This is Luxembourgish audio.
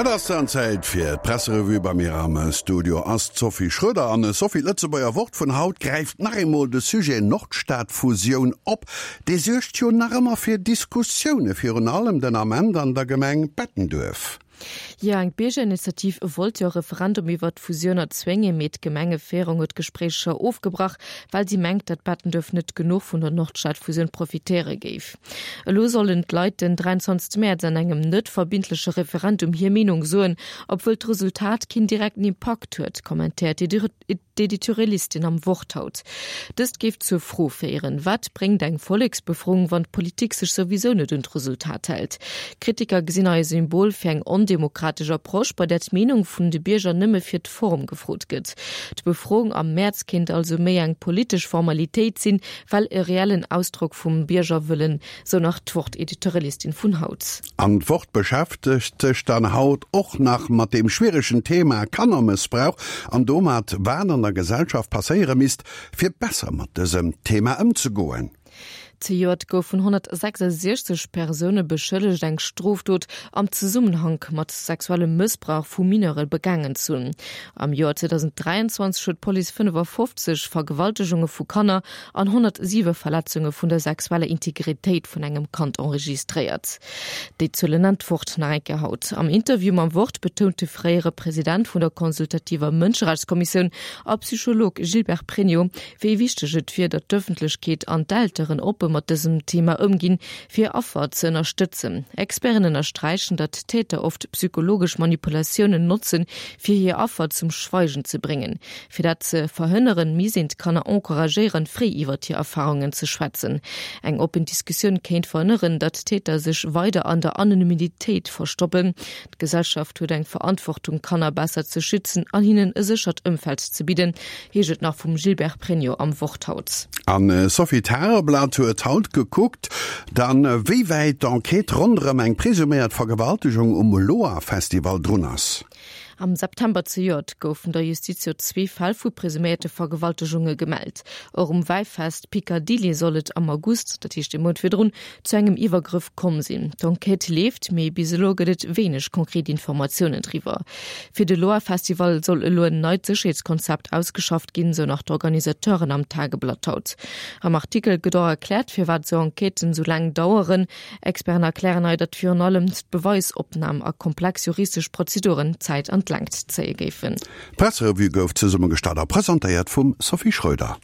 Et ass dann Zäit fir d'Presserevue. Bei mir am Studio ass d'Sophie Schroeder. An Sophie, d'Lëtzebuerger Wort vun haut gräift nach eemol de Sujet Nordstadfusioun op. Dee suergt jo nach ëmmer fir Diskussioune, virun allem den Ament an der Gemeng Bettenduerf. Jo, eng Biergerinitiativ wollt jo e Referendum iwwert d'Fusioun erzwéngen, mee d'Gemengeféierung huet d'Gespréicher ofgebrach, well si mengt, datt Bettenduerf net genuch vun der Nordstadfusioun profitéiere géif. Elo sollen d'Leit den 23 Mäerz an engem net verbindleche Referendum hir Meenung soen, obwuel d'Resultat keen direkten Impakt huet, kommentéiert d'Editorialistin am Wort haut. Dëst géif zur Fro féieren, Wat bréngt eng Volleksbefroung, wann d'Politik sech souwisou net un d'Resultat hält? Kritiker gesinn hei e Symbol fir eng ondemokratesch Approche, bei där d'Meenung vun de Bierger nëmme fir d'Form gefrot gëtt. D'Befroung am Mäerz kéint also méi eng politesch Formalitéit sinn, well e reellen Ausdrock vum Biergerwëllen, sou nach d'Wort-Editorialistin vun haut. An d'Wort beschäftegt sech dann haut och nach mat deem schwieregen Thema Kannermëssbrauch an domat, wat an der Gesellschaft passéiere misst, fir besser mat dësem Thema ëmzegoen. Zejoert goufen 166 Persoune beschëllegt, eng Strofdot am Zesummenhank mat sexuellem Mëssbrauch vu Mineure begaangen ze hunn. Am Joer 2023 huet d'Police 55 Vergewaltegunge vu Kanner an 107 Verletzunge vun der sexueller Integritéit vun engem Kand enregistréiert. Déi Zuelen nennt d'Wort nach eng Kéier haut. Am Interview mam Wort betount de fréiere President vun der consultativer Mënscherechtskommissioun a Psycholog Gilbert Pregno, wéi wichteg et wier, datt d'Ëffentlechkeet an d'Elteren oppe mat dësem Thema ëmginn, fir Affer ze ënnerstëtzen. Experten ënnersträichen, datt Täter oft psychologesch Manipulatiounen notzen, fir hir Affer zum Schweigen ze bréngen. Fir dat ze verhënneren, misst een d'Kanner encouragéieren, fréi iwwert hir Erfarungen ze schwätzen. Eng oppen Diskussioun kéint verhënneren, datt Täter sech weider an der Anonymitéit verstoppen. D'Gesellschaft huet eng Verantwortung, Kanner besser ze schützen an hinnen e séchert Ëmfeld ze bidden, heescht et nach vum Gilbert Pregno am Wort haut. An Sophie Tageblatt huet haut gekuckt, dann wéi wäit d'Enquête ronderëm eng presuméiert Vergewaltegung um Loa-Festival drun ass. Am September zejoert goufen der Justiz jo zwee Fäll vu presuméierte Vergewaltegunge gemellt. Och um Wäifest Picadilly soll et am August, dat heescht ee Mount virdrun, zu engem Iwwergrëff komm sinn. D'Enquête leeft, mee bis elo gëtt et wéineg konkret Informatiounen driwwer. Fir de Loa-Festival soll elo en neit Sécherheetskonzept ausgeschafft ginn, sou nach d'Organisateuren am Tageblatt haut. Am Artikel gëtt och erkläert, firwat esou Enquêten esou laang daueren. Experten erklären hei, datt virun allem d'Beweisopnam a komplex juristesch Prozeduren d'Zäit an d'Längt zéie géifen. D'Presserevue gouf zesummegestallt a presentéiert vum Sophie Schröder.